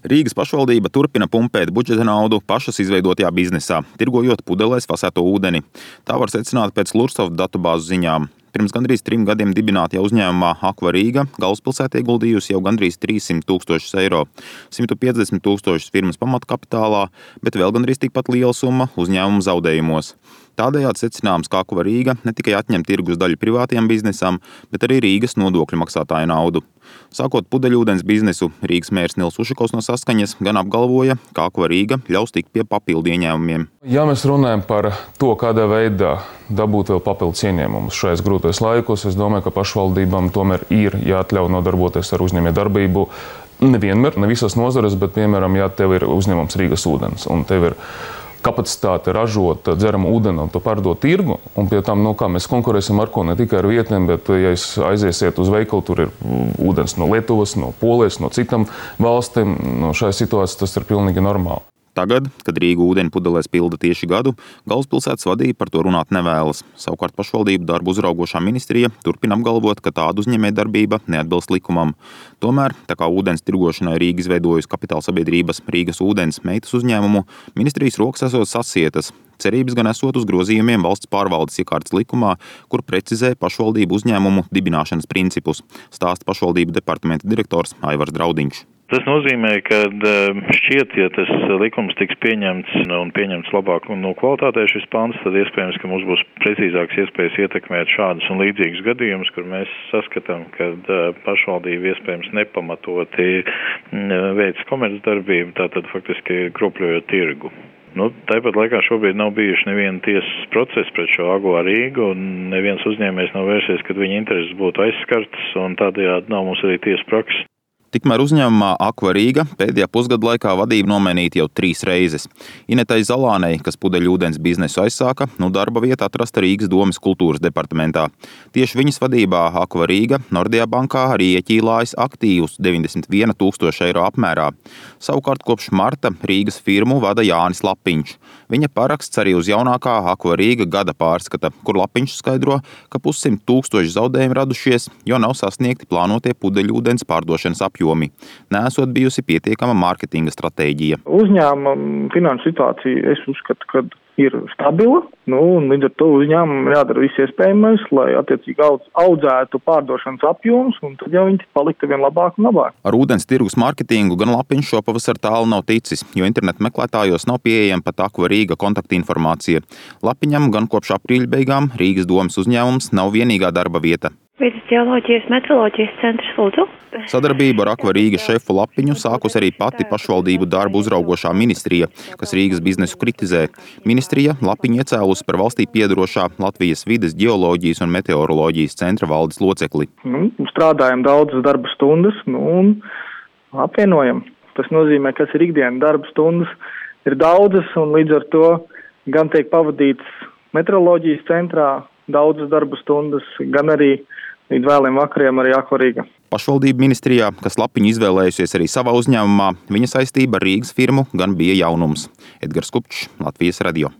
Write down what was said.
Rīgas pašvaldība turpina pumpēt budžeta naudu pašas izveidotajā biznesā, tirgojot pudelēs fasēto ūdeni. Tā var secināt pēc Lursoft datubāzu ziņām. Pirms gandrīz 3 gadiem dibinātajā uzņēmumā Aqua Riga galvaspilsētā ieguldījusi jau gandrīz 300 000 eiro, 150 000 firmas pamatkapitālā, bet vēl gandrīz tikpat liela summa uzņēmuma zaudējumos. Tādējādi secināms, ka Aqua Riga ne tikai atņem tirgus daļu privātajam biznesam, bet arī Rīgas nodokļu maksātāju naudu. Sākot pudeļūdens biznesu, Rīgas mērs Nils Ušakovs no Saskaņas gan apgalvoja, ka Aqua Riga ļaus tikt pie papildu ieņēmumiem. Ja mēs runājam par to, kādā veidā dabūt vēl papildus ieņēmumus šajos grūtajos laikos, es domāju, ka pašvaldībām tomēr ir jāatļauj nodarboties ar uzņēmējdarbību. Nevienmēr, ne visās nozarēs, bet, piemēram, ja tev ir uzņēmums Rīgas ūdens un tev ir kapacitāte ražot dzeramu ūdeni un to pārdot tirgu, un pie tam, kā mēs konkurēsim ar ko, ne tikai ar vietnēm, bet, ja jūs aiziesiet uz veikalu, tur ir ūdens no Lietuvas, no Polijas, no citām valstīm, šajā situācijā tas ir pilnīgi normāli. Tagad, kad Rīga ūdeni pudelēs pilda tieši gadu, galvaspilsētas vadība par to runāt nevēlas. Savukārt pašvaldību darbu uzraugošā ministrija turpina apgalvot, ka tāda uzņēmējdarbība neatbilst likumam. Tomēr, tā kā ūdens tirgošanai Rīga izveidojusi kapitāla sabiedrības Rīgas ūdens meitas uzņēmumu, ministrijas rokas esot sasietas. Cerības gan esot uz grozījumiem valsts pārvaldes iekārtas likumā, kur precizē pašvaldību uzņēmumu dibināšanas principus, stāsta pašvaldību departamenta direktors Aivars Draudiņš. Tas nozīmē, ka šķiet, ja tas likums tiks pieņemts un pieņemts labāk un no kvalitātē šis pants, tad iespējams, ka mums būs precīzāks iespējas ietekmēt šādus un līdzīgus gadījumus, kur mēs saskatām, ka pašvaldība iespējams nepamatoti veic komercdarbību, tātad faktiski kropļojot tirgu. Tāpat laikā šobrīd nav bijuši neviena tiesas procesa pret šo Aqua Rigu, un neviens uzņēmējs nav vērsies, kad viņa intereses būtu aizskartas, un tādējādi nav mums arī tiesas prakses. Tikmēr uzņēmumā Aqua Riga pēdējā pusgada laikā vadību nomainīta jau 3 reizes. Inetai Zalānei, kas pudeļūdens biznesu aizsāka, darba vieta atrasta Rīgas domes kultūras departamentā. Tieši viņas vadībā Aqua Riga Nordea bankā arī ieķīlājas aktīvus 91 000 eiro apmērā. Savukārt kopš marta Rīgas firmu vada Jānis Lapiņš. Viņa paraksts arī uz jaunākā Aqua Riga gada pārskata, kur Lapiņš skaidro, ka 100 000 zaudējumi radušies, jo nav sasniegti plānotie pudeļūdens pārdošanas apjomi. Nesot bijusi pietiekama mārketinga stratēģija. Uzņēmuma finanšu situācija, es uzskatu, ka ir stabila, un līdz ar to uzņēmumam jādara viss iespējamais, lai attiecīgi audzētu pārdošanas apjoms, un tad jau viņi paliktu vien labāk un labāk. Ar ūdens tirgus mārketingu gan Lapiņš šopavasar tālu nav ticis, jo internetu meklētājos nav pieejama pat Aqua Riga kontaktinformācija. Lapiņam gan kopš aprīļa beigām Rīgas domes uzņēmums nav vienīgā darba vieta. Vides ģeoloģijas meteoroloģijas centrs, lūdzu. Sadarbību ar Aqua Riga šefu Lapiņu sākus arī pati pašvaldību darbu uzraugošā ministrija, kas Rīgas biznesu kritizē. Ministrija Lapiņu iecēlusi par valstī piederošā Latvijas vides ģeoloģijas un meteoroloģijas centra valdes locekli. Strādājam daudzas darba stundas, un apvienojam. Tas nozīmē, kas ir ikdiena darba stundas, ir daudzas, un līdz ar to gan tiek pavadīts meteoroloģijas centrā daudzas darba stundas, gan arī līdz vēliem vakariem arī Aqua Riga. Pašvaldību ministrijā, kas Lapiņu izvēlējusies arī savā uzņēmumā, viņa saistība ar Rīgas firmu gan bija jaunums. Edgars Kupčs, Latvijas radio.